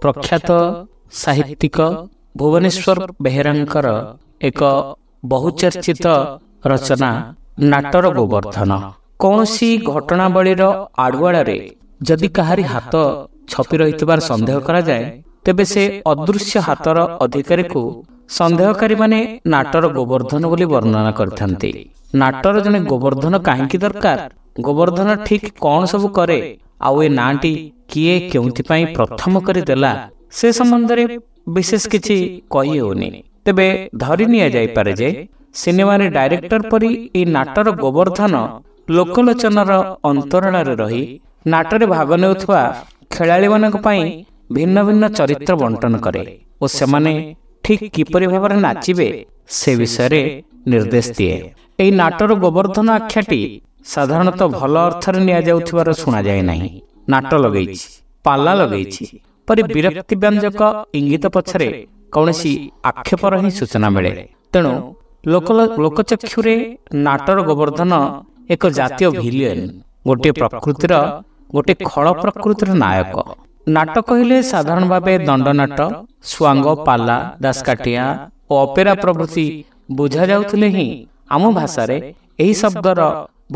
ପ୍ରଖ୍ୟାତ ସାହିତ୍ୟିକ ଭୁବନେଶ୍ୱର ବେହେରାଙ୍କର ଏକ ବହୁଚର୍ଚ୍ଚିତ ରଚନା ନାଟର ଗୋବର୍ଦ୍ଧନ। କୌଣସି ଘଟଣାବଳୀର ଆଢୁଆଳରେ ଯଦି କାହାରି ହାତ ଛପି ରହିଥିବାର ସନ୍ଦେହ କରାଯାଏ, ତେବେ ସେ ଅଦୃଶ୍ୟ ହାତର ଅଧିକାରୀକୁ ସନ୍ଦେହକାରୀମାନେ ନାଟର ଗୋବର୍ଦ୍ଧନ ବୋଲି ବର୍ଣ୍ଣନା କରିଥାନ୍ତି। ନାଟର ଜଣେ ଗୋବର୍ଦ୍ଧନ କାହିଁକି ଦରକାର, ଗୋବର୍ଦ୍ଧନ ଠିକ୍ କ'ଣ ସବୁ କରେ, ଆଉ ଏ ନାଁଟି କିଏ କେଉଁଥିପାଇଁ ପ୍ରଥମ କରି ଦେଲା, ସେ ସମ୍ବନ୍ଧରେ ବିଶେଷ କିଛି କହି ହେଉନି। ତେବେ ଧରି ନିଆଯାଇପାରେ ଯେ ସିନେମାରେ ଡାଇରେକ୍ଟର ପରି ଏହି ନାଟର ଗୋବର୍ଦ୍ଧନ ଲୋକଲୋଚନର ଅନ୍ତରାଳରେ ରହି ନାଟରେ ଭାଗ ନେଉଥିବା ଖେଳାଳିମାନଙ୍କ ପାଇଁ ଭିନ୍ନ ଭିନ୍ନ ଚରିତ୍ର ବଣ୍ଟନ କରେ ଓ ସେମାନେ ଠିକ୍ କିପରି ଭାବରେ ନାଚିବେ ସେ ବିଷୟରେ ନିର୍ଦ୍ଦେଶ ଦିଏ। ଏହି ନାଟର ଗୋବର୍ଦ୍ଧନ ଆଖ୍ୟାଟି ସାଧାରଣତଃ ଭଲ ଅର୍ଥରେ ନିଆଯାଉଥିବାର ଶୁଣାଯାଏ ନାହିଁ। ନାଟ ଲଗେଇଛି, ପାଲା ଲଗେଇଛି ପରି ବିରକ୍ତି ବ୍ୟଞ୍ଜକ ଇଙ୍ଗିତ ପଛରେ କୌଣସି ଆକ୍ଷେପର ହିଁ ସୂଚନା ମିଳେ। ତେଣୁ ଲୋକଚକ୍ଷୁରେ ନାଟର ଗୋବର୍ଦ୍ଧନ ଏକ ଜାତୀୟ ଭିଲିୟନ, ଗୋଟିଏ ପ୍ରକୃତିର, ଗୋଟିଏ ଖଳ ପ୍ରକୃତିର ନାୟକ। ନାଟ କହିଲେ ସାଧାରଣ ଭାବେ ଦଣ୍ଡନାଟ, ସୁଆଙ୍ଗ, ପାଲା, ଦାସକାଠିଆ ଓ ଅପେରା ପ୍ରଭୃତି ବୁଝାଯାଉଥିଲେ ହିଁ ଆମ ଭାଷାରେ ଏହି ଶବ୍ଦର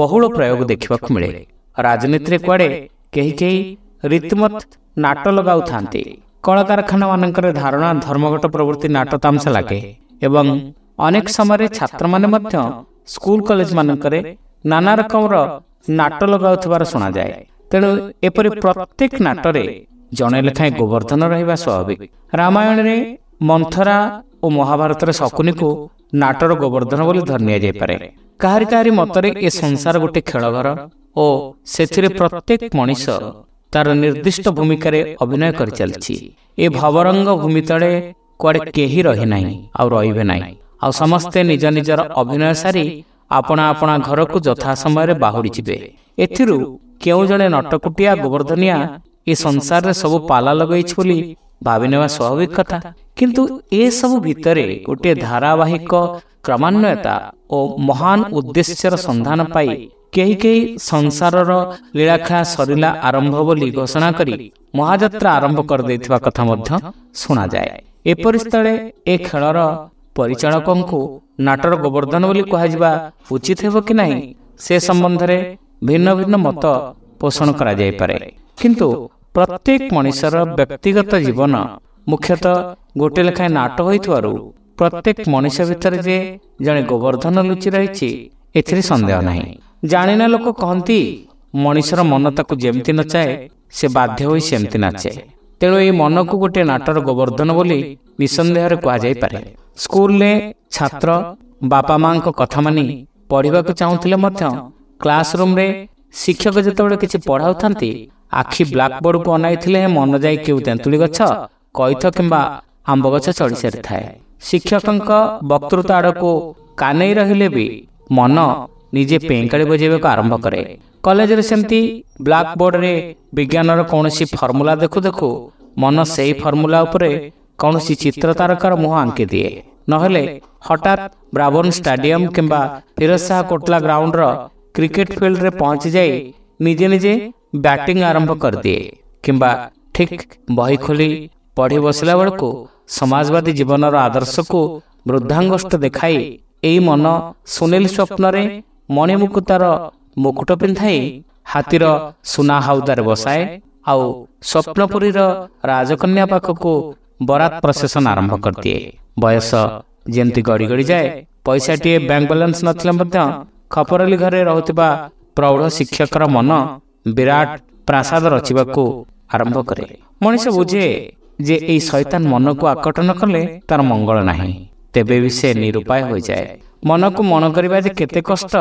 ବହୁଳ ପ୍ରୟୋଗ ଦେଖିବାକୁ ମିଳେ। ରାଜନୀତିରେ କୁଆଡ଼େ କେହି କେହି ରୀତିମତ ନାଟ ଲଗାଉଥାନ୍ତି। କଳକାରଖାନାମାନଙ୍କରେ ଧାରଣା, ଧର୍ମଘଟ ପ୍ରଭୃତି ନାଟ ତାମସା ଲାଗେ ଏବଂ ଅନେକ ସମୟରେ ଛାତ୍ରମାନେ ମଧ୍ୟ ସ୍କୁଲ କଲେଜମାନଙ୍କରେ ନାନା ରକମର ନାଟ ଲଗାଉଥିବାର ଶୁଣାଯାଏ। ତେଣୁ ଏପରି ପ୍ରତ୍ୟେକ ନାଟରେ ଜଣେ ଲେଖାଏଁ ଗୋବର୍ଦ୍ଧନ ରହିବା ସ୍ୱାଭାବିକ। ରାମାୟଣରେ ମନ୍ଥରା ଓ ମହାଭାରତରେ ଶକୁନିକୁ ନାଟର ଗୋବର୍ଦ୍ଧନ ବୋଲି ଧରି ନିଆଯାଇପାରେ। କାହାରି କାହାରି ମତରେ ଏ ସଂସାର ଗୋଟେ ଖେଳଘର ଓ ସେଥିରେ ପ୍ରତ୍ୟେକ ମଣିଷ ତାର ନିର୍ଦ୍ଦିଷ୍ଟ ଭୂମିକାରେ ଅଭିନୟ କରିଚାଲିଛି। ଏ ଭବରଙ୍ଗ ଭୂମି ତଳେ କୁଆଡ଼େ କେହି ରହିନାହିଁ ଆଉ ରହିବେ ନାହିଁ, ଆଉ ସମସ୍ତେ ନିଜ ନିଜର ଅଭିନୟ ସାରି ଆପଣା ଆପଣା ଘରକୁ ଯଥା ସମୟରେ ବାହୁଡ଼ି ଯିବେ। ଏଥିରୁ କେଉଁ ଜଣେ ନଟକୁଟିଆ ଗୋବର୍ଦ୍ଧନିଆ ଏ ସଂସାରରେ ସବୁ ପାଲା ଲଗାଇଛି ବୋଲି ଭାବିନେବା ସ୍ୱାଭାବିକ କଥା। କିନ୍ତୁ ଏସବୁ ଭିତରେ ଗୋଟିଏ ଧାରାବାହିକ କ୍ରମାନ୍ୱୟତା ଓ ମହାନ ଉଦ୍ଦେଶ୍ୟର ସନ୍ଧାନ ପାଇ କେହି କେହି ସଂସାରର ଲୀଳାଖେଳା ସରିଲା ଆରମ୍ଭ ବୋଲି ଘୋଷଣା କରି ମହାଯାତ୍ରା ଆରମ୍ଭ କରିଦେଇଥିବା କଥା ମଧ୍ୟ ଶୁଣାଯାଏ। ଏପରି ସ୍ଥଳେ ଏ ଖେଳର ପରିଚାଳକଙ୍କୁ ନାଟର ଗୋବର୍ଦ୍ଧନ ବୋଲି କୁହାଯିବା ଉଚିତ ହେବ କି ନାହିଁ, ସେ ସମ୍ବନ୍ଧରେ ଭିନ୍ନ ଭିନ୍ନ ମତ ପୋଷଣ କରାଯାଇପାରେ। କିନ୍ତୁ ପ୍ରତ୍ୟେକ ମଣିଷର ବ୍ୟକ୍ତିଗତ ଜୀବନ ମୁଖ୍ୟତଃ ଗୋଟେ ଲେଖାଏଁ ନାଟ ହୋଇଥିବାରୁ ପ୍ରତ୍ୟେକ ମଣିଷ ଭିତରେ ଯେ ଜଣେ ଗୋବର୍ଦ୍ଧନ ଲୁଚି ରହିଛି, ଏଥିରେ ସନ୍ଦେହ ନାହିଁ। ଜାଣିନା ଲୋକ କହନ୍ତି ମଣିଷର ମନ ତାକୁ ଯେମିତି ନଚାଏ ସେ ବାଧ୍ୟ ହୋଇ ସେମିତି ନାଚେ। ତେଣୁ ଏହି ମନକୁ ଗୋଟିଏ ନାଟର ଗୋବର୍ଦ୍ଧନ ବୋଲି ନିଃସନ୍ଦେହରେ କୁହାଯାଇପାରେ। ସ୍କୁଲରେ ଛାତ୍ର ବାପା ମାଙ୍କ କଥା ମାନି ପଢ଼ିବାକୁ ଚାହୁଁଥିଲେ ମଧ୍ୟ କ୍ଲାସରୁମ୍ରେ ଶିକ୍ଷକ ଯେତେବେଳେ କିଛି ପଢ଼ାଉଥାନ୍ତି, ଆଖି ବ୍ଲାକବୋର୍ଡକୁ ଅନାଇଥିଲେ ମନ ଯାଇ କେଉଁ ତେନ୍ତୁଳି ଗଛ, କଇଥ କିମ୍ବା ଆମ୍ବ ଗଛ ଚଢ଼ି ସାରିଥାଏ। ଶିକ୍ଷକଙ୍କ ବକ୍ତୃତା ଆଡ଼କୁ କାନେଇ ରହିଲେ ବି ମନ ନିଜେ ପେଁକାଳି ବଜାଇବାକୁ ଆରମ୍ଭ କରେ। କଲେଜରେ ସେମିତି ବ୍ଲାକବୋର୍ଡରେ ବିଜ୍ଞାନର କୌଣସି ଫର୍ମୁଲା ଦେଖୁ ଦେଖୁ ମନ ସେଇ ଫର୍ମୁଲା ଉପରେ କୌଣସି ଚିତ୍ର ତାରକାର ମୁହଁ ଆଙ୍କି ଦିଏ। ନହେଲେ ହଠାତ୍ ବ୍ରାବର୍ନ ଷ୍ଟାଡିୟମ କିମ୍ବା ଫିରୋଜ ଶାହ କୋଟଲା ଗ୍ରାଉଣ୍ଡର କ୍ରିକେଟ ଫିଲ୍ଡରେ ପହଞ୍ଚିଯାଇ ନିଜେ ନିଜେ ବ୍ୟାଟିଂ ଆରମ୍ଭ କରିଦିଏ, କିମ୍ବା ଠିକ୍ ବହି ଖୋଲି ପଢ଼ି ବସିଲା ବେଳକୁ ସମାଜବାଦୀ ଜୀବନର ଆଦର୍ଶକୁ ବୃଦ୍ଧାଙ୍ଗଷ୍ଠ ଦେଖାଇ ଏଇ ମନ ସୁନେଲି ସ୍ୱପ୍ନରେ ମଣିମୁକୁତାର ମୁକୁଟ ପିନ୍ଧାଇ ହାତୀର ସୁନା ହାଉଦାରେ ବସାଏ ଆଉ ସ୍ୱପ୍ନପୁରୀର ରାଜକନ୍ୟା ପାଖକୁ ବରାତ ପ୍ରସେସନ ଆରମ୍ଭ କରିଦିଏ। ବୟସ ଯେମିତି ଗଡ଼ି ଗଡ଼ି ଯାଏ, ପଇସାଟିଏ ବ୍ୟାଙ୍କ ବାଲାନ୍ସ ନଥିଲେ ମଧ୍ୟ ଖପରଲି ଘରେ ରହୁଥିବା ପ୍ରୌଢ଼ ଶିକ୍ଷକର ମନ ବିରାଟ ପ୍ରାସାଦ ରଚିବାକୁ ଆରମ୍ଭ କରେ। ମଣିଷ ବୁଝେ ଯେ ଏଇ ଶୈତାନ ମନକୁ ଆକଟନ କଲେ ତାର ମଙ୍ଗଳ ନାହିଁ, ତେବେ ବି ସେ ନିରୁପାୟ ହୋଇଯାଏ। ମନକୁ ମଣ କରିବା ଯେ କେତେ କଷ୍ଟ,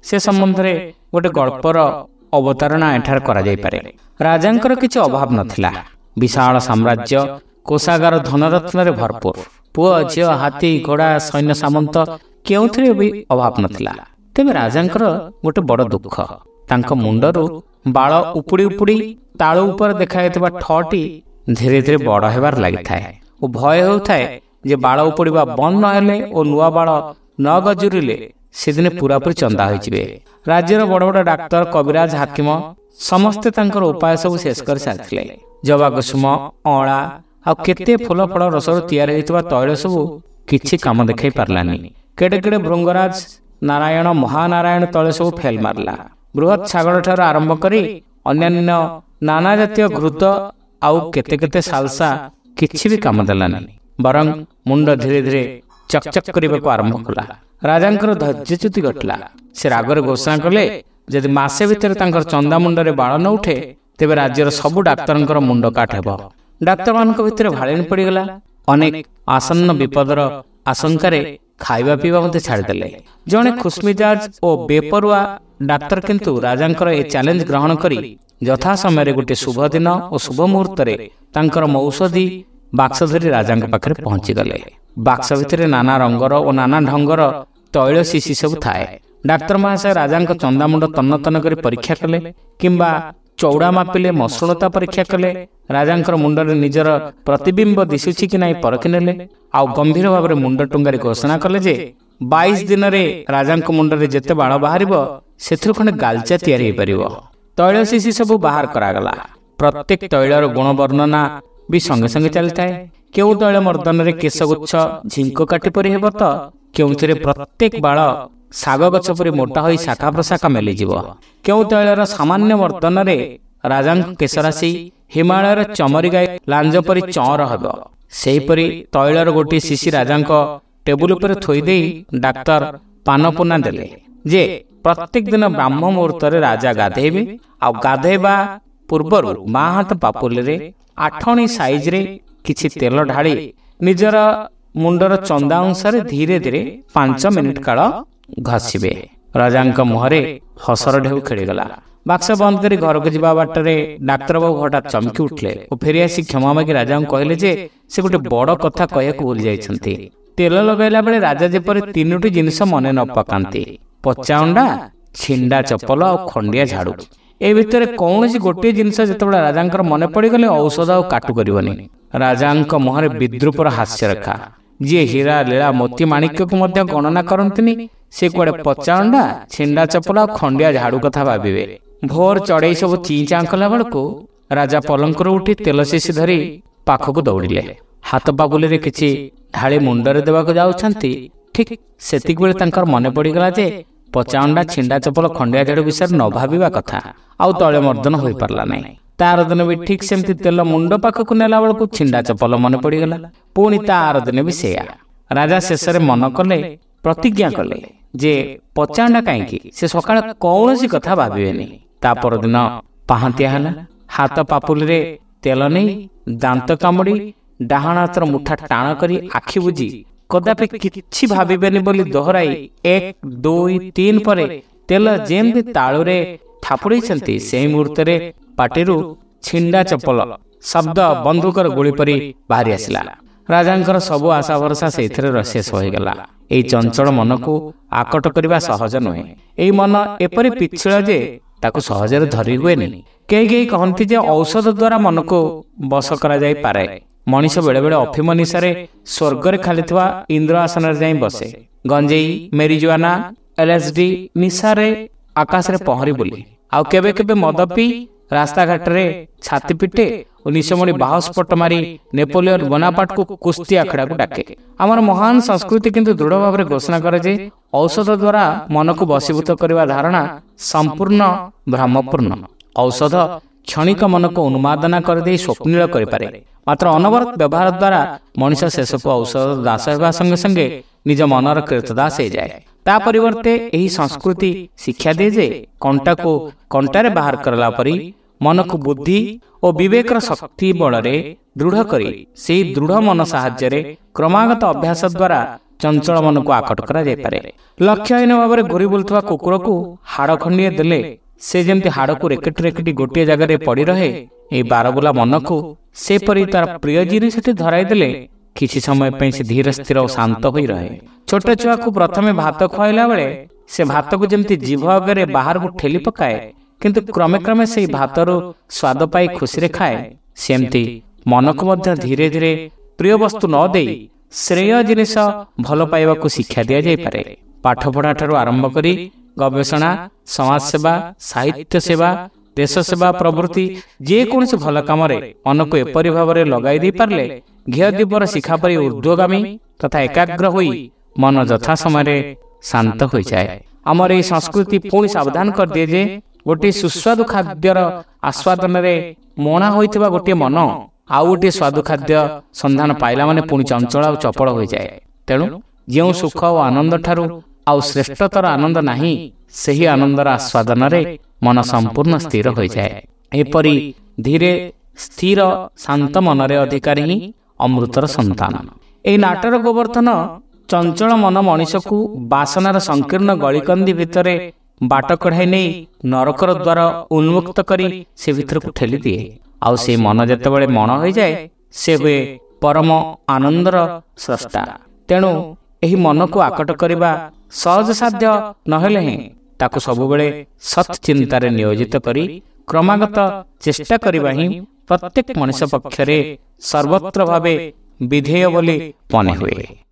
ସେ ସମ୍ବନ୍ଧରେ ଗୋଟେ ଗଳ୍ପର ଅବତାରଣା ଏଠାରେ କରାଯାଇପାରେ। ରାଜାଙ୍କର କିଛି ଅଭାବ ନଥିଲା। ବିଶାଳ ସାମ୍ରାଜ୍ୟ, କୋଷାଗାର ଧନରତ୍ନରେ ଭରପୁର, ପୁଅ ଝିଅ, ହାତୀ ଘୋଡ଼ା, ସୈନ୍ୟ ସାମନ୍ତ କେଉଁଥିରେ ବି ଅଭାବ ନଥିଲା। ତେବେ ରାଜାଙ୍କର ଗୋଟେ ବଡ଼ ଦୁଃଖ, ତାଙ୍କ ମୁଣ୍ଡରୁ ବାଳ ଉପୁଡ଼ି ଉପୁଡ଼ି ତାଳୁ ଉପରେ ଦେଖାଯାଇଥିବା ଠଟି ଧୀରେ ଧୀରେ ବଡ଼ ହେବାର ଲାଗିଥାଏ ଓ ଭୟ ହେଉଥାଏ ଯେ ବାଳ ଉପୁଡ଼ିବା ବନ୍ଦ ନହେଲେ ଓ ନୂଆ ବାଳ ନ ଗଜୁରିଲେ ସେଦିନେ ପୁରାପୁରି ଚନ୍ଦା ହୋଇଯିବେ। ରାଜ୍ୟର ବଡ଼ ବଡ଼ ଡାକ୍ତର, କବିରାଜ, ହାକିମ ସମସ୍ତେ ତାଙ୍କର ଉପାୟ ସବୁ ଶେଷ କରି ସାରିଥିଲେ। ଜବାକୁସୁମ, ଅଁଳା, ଆଉ କେତେ ଫୁଲ ଫଳ ରସରୁ ତିଆରି ହୋଇଥିବା ତୈଳ ସବୁ କିଛି କାମ ଦେଖାଇ ପାରିଲାନି। କେଡ଼େ କେଡ଼େ ଭୃଙ୍ଗରାଜ, ନାରାୟଣ, ମହାନାରାୟଣ ତୈଳ ସବୁ ଫେଲ ମାରିଲା। ବୃହତ୍ ଛାଗଳ ଠାରୁ ଆରମ୍ଭ କରି ଅନ୍ୟାନ୍ୟ ନାନା ଜାତୀୟ ଘୃତ ଆଉ କେତେ କେତେ ସାଲସା କିଛି ବି କାମ ଦେଲାନି, ବରଂ ମୁଣ୍ଡ ଧୀରେ ଧୀରେ ଚକଚକ କରିବାକୁ ଆରମ୍ଭ କଲା। ରାଜାଙ୍କର ଧୈର୍ଯ୍ୟଚ୍ୟୁତି ଘଟିଲା। ସେ ରାଗରେ ଘୋଷଣା କଲେ, ଯଦି ମାସେ ଭିତରେ ତାଙ୍କର ଚନ୍ଦା ମୁଣ୍ଡରେ ବାଳ ନ ଉଠେ, ତେବେ ରାଜ୍ୟର ସବୁ ଡାକ୍ତରଙ୍କର ମୁଣ୍ଡ କାଟ ହେବ। ଡାକ୍ତରମାନଙ୍କ ଭିତରେ ଭାଳେଣି ପଡ଼ିଗଲା। ଅନେକ ଆସନ୍ନ ବିପଦର ଆଶଙ୍କାରେ ଖାଇବା ପିଇବା ମଧ୍ୟ ଛାଡ଼ିଦେଲେ। ଜଣେ ଖୁସମିଜାଜ ଓ ବେପରୁଆ ଡାକ୍ତର କିନ୍ତୁ ରାଜାଙ୍କର ଏ ଚ୍ୟାଲେଞ୍ଜ ଗ୍ରହଣ କରି ଯଥା ସମୟରେ ଗୋଟିଏ ଶୁଭ ଦିନ ଓ ଶୁଭ ମୁହୂର୍ତ୍ତରେ ତାଙ୍କର ମୌଷଧି ବାକ୍ସ ଧରି ରାଜାଙ୍କ ପାଖରେ ପହଞ୍ଚିଗଲେ। ବାକ୍ସ ଭିତରେ ନାନା ରଙ୍ଗର ଓ ନାନା ଢଙ୍ଗର ତୈଳ ଶିଶି ସବୁ ଥାଏ। ଡାକ୍ତର ମହାଶୟ ରାଜାଙ୍କ ଚନ୍ଦାମୁଣ୍ଡ ତନ୍ନ ତନ୍ନ କରି ପରୀକ୍ଷା କଲେ, କିମ୍ବା ଚଉଡ଼ା ମାପିଲେ, ମସୃଣତା ପରୀକ୍ଷା କଲେ, ରାଜାଙ୍କର ମୁଣ୍ଡରେ ନିଜର ପ୍ରତିବିମ୍ବ ଦିଶୁଛି କି ନାହିଁ ପରଖି ନେଲେ, ଆଉ ଗମ୍ଭୀର ଭାବରେ ମୁଣ୍ଡ ଟୁଙ୍ଗାରି ଘୋଷଣା କଲେ ଯେ 22 ଦିନରେ ରାଜାଙ୍କ ମୁଣ୍ଡରେ ଯେତେ ବାଳ ବାହାରିବ ସେଥିରୁ ଖଣ୍ଡେ ଗାଲଚା ତିଆରି ହୋଇପାରିବ। ତୈଳ ଶିଶି ସବୁ ବାହାର କରାଗଲା। ପ୍ରତ୍ୟେକ ତୈଳର ଗୁଣ ବର୍ଣ୍ଣନା ବି ସଙ୍ଗେ ସଙ୍ଗେ ଚାଲିଥାଏ। କେଉଁ ତୈଳ ମର୍ଦ୍ଦନରେ କେଶଗୁଚ୍ଛ ଝିଙ୍କ କାଟି ପରି ହେବ ତ କେଉଁଥିରେ ପ୍ରତ୍ୟେକ ବାଳ ଶାଗ ଗଛ ପରି ମୋଟା ହୋଇ ଶାଖା ପ୍ରଶାଖା ମେଲିଯିବ। କେଉଁ ତୈଳର ସାମାନ୍ୟ ମର୍ଦ୍ଦନରେ ରାଜାଙ୍କ କେଶରାଶି ହିମାଳୟର ଚମରି ଗାଈ ଲାଞ୍ଜ ପରି ଚଅଁର ହେବ। ସେହିପରି ତୈଳର ଗୋଟିଏ ଶିଶି ରାଜାଙ୍କ ଟେବୁଲ ଉପରେ ଥୋଇଦେଇ ଡାକ୍ତର ପାନପୁନା ଦେଲେ ଯେ ପ୍ରତ୍ୟେକ ଦିନ ବ୍ରାହ୍ମ ମୁହୂର୍ତ୍ତରେ ରାଜା ଗାଧେଇବେ, ଆଉ ଗାଧେଇବା ପୂର୍ବରୁ ବାଁ ହାତ ପାପୁଲିରେ ଆଠଣି ସାଇଜରେ କିଛି ତେଲ ଢାଳି ନିଜର ମୁଣ୍ଡର ଚନ୍ଦା ଅଂଶରେ ଧୀରେ ଧୀରେ 5 ମିନିଟ୍ କାଳ ଘଷିବେ। ରାଜାଙ୍କ ମୁହଁରେ ହସର ଢେଉ ଖେଳିଗଲା। ବାକ୍ସ ବନ୍ଦ କରି ଘରକୁ ଯିବା ବାଟରେ ଡାକ୍ତରବାବୁ ହଠାତ୍ ଚମକି ଉଠିଲେ ଓ ଫେରିଆସି କ୍ଷମା ମାଗି ରାଜାଙ୍କୁ କହିଲେ ଯେ ସେ ଗୋଟେ ବଡ଼ କଥା କହିବାକୁ ଭୁଲି ଯାଇଛନ୍ତି। ତେଲ ଲଗାଇଲା ବେଳେ ରାଜା ଯେପରି 3ଟି ଜିନିଷ ମନେ ନ ପକାନ୍ତି, ପଚା ଅଣ୍ଡା, ଛିଣ୍ଡା ଚପଲ ଆଉ ଖଣ୍ଡିଆ ଝାଡ଼ୁ। ଏ ଭିତରେ କୌଣସି ଗୋଟିଏ ଜିନିଷ ଯେତେବେଳେ ରାଜାଙ୍କର ମନେ ପଡ଼ିଗଲେ ଔଷଧ ଆଉ କାଟୁ କରିବନି। ରାଜାଙ୍କ ମୁହଁରେ ବିଦ୍ରୂପର ହାସ୍ୟରେଖା। ଯିଏ ହୀରା, ଲୀଳା, ମୋତି, ମାଣିକ୍ୟକୁ ମଧ୍ୟ ଗଣନା କରନ୍ତିନି, ସେ କୁଆଡ଼େ ପଚା ଅଣ୍ଡା, ଛିଣ୍ଡା ଚପଲ ଆଉ ଖଣ୍ଡିଆ ଝାଡ଼ୁ କଥା ଭାବିବେ। ଭୋର ଚଢ଼େଇ ସବୁ ଚିଁ ଚାଁ କଲା ବେଳକୁ ରାଜା ପଲଙ୍କରୁ ଉଠି ତେଲ ଶିଶି ଧରି ପାଖକୁ ଦୌଡ଼ିଲେ। ହାତ ପାପୁଲିରେ କିଛି ଢାଳି ମୁଣ୍ଡରେ ଦେବାକୁ ଯାଉଛନ୍ତି, ଠିକ୍ ସେତିକିବେଳେ ତାଙ୍କର ମନେ ପଡ଼ିଗଲା ଯେ ପଚା ଅଣ୍ଡା, ଛିଣ୍ଡା ଚପଲ, ଖଣ୍ଡିଆ ଝାଡ଼ୁ ବିଷୟରେ ନ ଭାବିବା କଥା। ଆଉ ତଳେ ମର୍ଦ୍ଦନ ହୋଇପାରିଲା ନାହିଁ। ତାର ଦିନ ବି ଠିକ୍ ସେମିତି ତେଲ ମୁଣ୍ଡ ପାଖକୁ ନେଲା ବେଳକୁ ଛିଣ୍ଡା ଚପଲ ମନେ ପଡ଼ିଗଲା। ପୁଣି ତା ଆର ଦିନ ବି ସେଇଆ। ରାଜା ଶେଷରେ ମନ କଲେ, ପ୍ରତିଜ୍ଞା କଲେ ଯେ ପଚା ଅଣ୍ଡା କାହିଁକି, ସେ ସକାଳେ କୌଣସି କଥା ଭାବିବେନି। ତା ପରଦିନ ପାହାନ୍ତିଆ ହେଲା। ହାତ ପାପୁଲିରେ ତେଲ ନେଇ ଦାନ୍ତ କାମୁଡ଼ି ଡାହାଣ ହାତର ମୁଠା ଟାଣ କରି ଆଖି ବୁଜି କଦାପି କିଛି ଭାବିବେନି ବୋଲି ଦୋହରାଇ 1, 2, 3 ପରେ ତେଲ ଯେମିତି ତାଳୁରେ ଥାପୁଡ଼େଇଛନ୍ତି, ସେହି ମୁହୂର୍ତ୍ତରେ ପାଟିରୁ ଛିଣ୍ଡା ଚପଲ ଶବ୍ଦ ବନ୍ଧୁକର ଗୁଳି ପରି ବାହାରି ଆସିଲା। ରାଜାଙ୍କର ସବୁ ଆଶା ଭରସା ସେଇଥିରେ ଶେଷ ହୋଇଗଲା। ଏଇ ଚଞ୍ଚଳ ମନକୁ ଆକଟ କରିବା ସହଜ ନୁହେଁ। ଏଇ ମନ ଏପରି ପିଚ୍ଛିଳ ଯେ ତାକୁ ସହଜରେ ଧରି ହୁଏନି। କେହି କେହି କହନ୍ତି ଯେ ଔଷଧ ଦ୍ୱାରା ମନକୁ ବଶ କରାଯାଇପାରେ। ମଣିଷ ବେଳେବେଳେ ଅଫିମ ନିଶାରେ ସ୍ୱର୍ଗରେ ଖାଲିଥିବା ଇନ୍ଦ୍ର ଆସନରେ ଯାଇ ବସେ। ଗଞ୍ଜେଇ, ମେରିଜୁଆନା, LSD ନିଶାରେ ଆକାଶରେ ପହଁରି ବୁଲେ। ଆଉ କେବେ କେବେ ମଦ ପିଇ ରାସ୍ତାଘାଟରେ ଛାତି ପିଟେ ଓ ନିଶମଣି ବାହସ୍ଫୋଟ ମାରି ନେପୋଲିୟନ ବୋନାପାର୍ଟକୁ କୁସ୍ତି ଆଖଡ଼ାକୁ ଡାକେ। ଆମର ମହାନ ସଂସ୍କୃତି କିନ୍ତୁ ଦୃଢ଼ ଭାବରେ ଘୋଷଣା କରେ ଯେ ଔଷଧ ଦ୍ୱାରା ମନକୁ ବଶୀଭୂତ କରିବା ଧାରଣା ସମ୍ପୂର୍ଣ୍ଣ ଭ୍ରମପୂର୍ଣ୍ଣ। ଔଷଧ କ୍ଷଣିକ ମନକୁ ଉନ୍ମାଦନା କରିଦେଇ ସ୍ୱପ୍ନିଳ କରିପାରେ, ମାତ୍ର ଅନବରତ ବ୍ୟବହାର ଦ୍ୱାରା ମଣିଷ ଶେଷକୁ ଔଷଧ ଦାସ ହେବା ସଙ୍ଗେ ସଙ୍ଗେ ନିଜ ମନର କ୍ରୀତଦାସ ହେଇଯାଏ। ତା ପରିବର୍ତ୍ତେ ଏହି ସଂସ୍କୃତି ଶିକ୍ଷା ଦିଏ ଯେ କଣ୍ଟାକୁ କଣ୍ଟାରେ ବାହାର କଲା ପରି ମନକୁ ବୁଦ୍ଧି ଓ ବିବେକର ଶକ୍ତି ବଳରେ ଦୃଢ଼ କରି ସେହି ଦୃଢ଼ ମନ ସାହାଯ୍ୟରେ କ୍ରମାଗତ ଅଭ୍ୟାସ ଦ୍ୱାରା ଚଞ୍ଚଳ ମନକୁ ଆକଟ କରାଯାଇପାରେ। ଲକ୍ଷ୍ୟହୀନ ଭାବରେ ଘୁରି ବୁଲୁଥିବା କୁକୁରକୁ ହାଡ଼ ଖଣ୍ଡିଏ ଦେଲେ ସେ ଯେମିତି ହାଡ଼କୁ ରେକେଟି ରେକେଟି ଗୋଟିଏ ଜାଗାରେ ପଡ଼ି ରହେ, ଏହି ବାରବୁଲା ମନକୁ ସେପରି ତାର ପ୍ରିୟ ଜିନିଷଟି ଧରାଇ ଦେଲେ କିଛି ସମୟ ପାଇଁ ସେ ଧୀର ସ୍ଥିର ଓ ଶାନ୍ତ ହୋଇ ରହେ। ଛୋଟ ଛୁଆକୁ ପ୍ରଥମେ ଭାତ ଖୁଆଇଲା ବେଳେ ସେ ଭାତକୁ ଯେମିତି ଜିଭ ଆଗରେ ବାହାରକୁ ଠେଲି ପକାଏ, କିନ୍ତୁ କ୍ରମେ କ୍ରମେ ସେଇ ଭାତରୁ ସ୍ୱାଦ ପାଇ ଖୁସିରେ ଖାଏ, ସେମିତି ମନକୁ ମଧ୍ୟ ଧୀରେ ଧୀରେ ପ୍ରିୟ ବସ୍ତୁ ନ ଦେଇ ଶ୍ରେୟ ଜିନିଷ ଭଲ ପାଇବାକୁ ଶିକ୍ଷା ଦିଆଯାଇପାରେ। ପାଠପଢ଼ା ଠାରୁ ଆରମ୍ଭ କରି ଗବେଷଣା, ସମାଜସେବା, ସାହିତ୍ୟ ସେବା, ଦେଶ ସେବା ପ୍ରଭୃତି ଯେକୌଣସି ଭଲ କାମରେ ମନକୁ ଏପରି ଭାବରେ ଲଗାଇ ଦେଇପାରିଲେ ଘିଅ ଦୀପର ଶିଖା ପରି ଊର୍ଦ୍ଧ୍ୱଗାମୀ ତଥା ଏକାଗ୍ର ହୋଇ ମନ ଯଥା ସମୟରେ ଶାନ୍ତ ହୋଇଯାଏ। ଆମର ଏହି ସଂସ୍କୃତି ପୁଣି ସାବଧାନ କରିଦିଏ ଯେ ଗୋଟିଏ ସୁସ୍ୱାଦୁ ଖାଦ୍ୟର ଆସ୍ୱାଦନରେ ମଣା ହୋଇଥିବା ଗୋଟିଏ ମନ ଆଉ ଗୋଟିଏ ସ୍ୱାଦୁ ଖାଦ୍ୟ ସନ୍ଧାନ ପାଇଲା ମାନେ ପୁଣି ଚଞ୍ଚଳ ଆଉ ଚପଳ ହୋଇଯାଏ। ତେଣୁ ଯେଉଁ ସୁଖ ଓ ଆନନ୍ଦ ଠାରୁ ଆଉ ଶ୍ରେଷ୍ଠତର ଆନନ୍ଦ ନାହିଁ, ସେହି ଆନନ୍ଦର ଆସ୍ୱାଦନରେ ମନ ସମ୍ପୂର୍ଣ୍ଣ ସ୍ଥିର ହୋଇଯାଏ। ଏପରି ଧୀରେ ସ୍ଥିର ଶାନ୍ତ ମନରେ ଅଧିକାରୀ ହିଁ ଅମୃତର ସନ୍ତାନ। ଏହି ନାଟର ଗୋବର୍ଦ୍ଧନ ଚଞ୍ଚଳ ମନ ମଣିଷକୁ ବାସନାର ସଂକୀର୍ଣ୍ଣ ଗଳିକନ୍ଦି ଭିତରେ ବାଟ କଢ଼ାଇ ନେଇ ନରକର ଦ୍ୱାର ଉନ୍ମୁକ୍ତ କରି ସେ ଭିତରକୁ ଠେଲିଦିଏ। ଆଉ ସେ ମନ ଯେତେବେଳେ ମଣ ହୋଇଯାଏ, ସେ ହୁଏ ପରମ ଆନନ୍ଦର ସ୍ରଷ୍ଟା। ତେଣୁ ଏହି ମନକୁ ଆକଟ କରିବା ସହଜସାଧ୍ୟ ନହେଲେ ହିଁ ତାକୁ ସବୁବେଳେ ସତ୍ ଚିନ୍ତାରେ ନିୟୋଜିତ କରି କ୍ରମାଗତ ଚେଷ୍ଟା କରିବା ହିଁ ପ୍ରତ୍ୟେକ ମଣିଷ ପକ୍ଷରେ ସର୍ବତ୍ର ଭାବେ ବିଧେୟ ବୋଲି ମନେ ହୁଏ।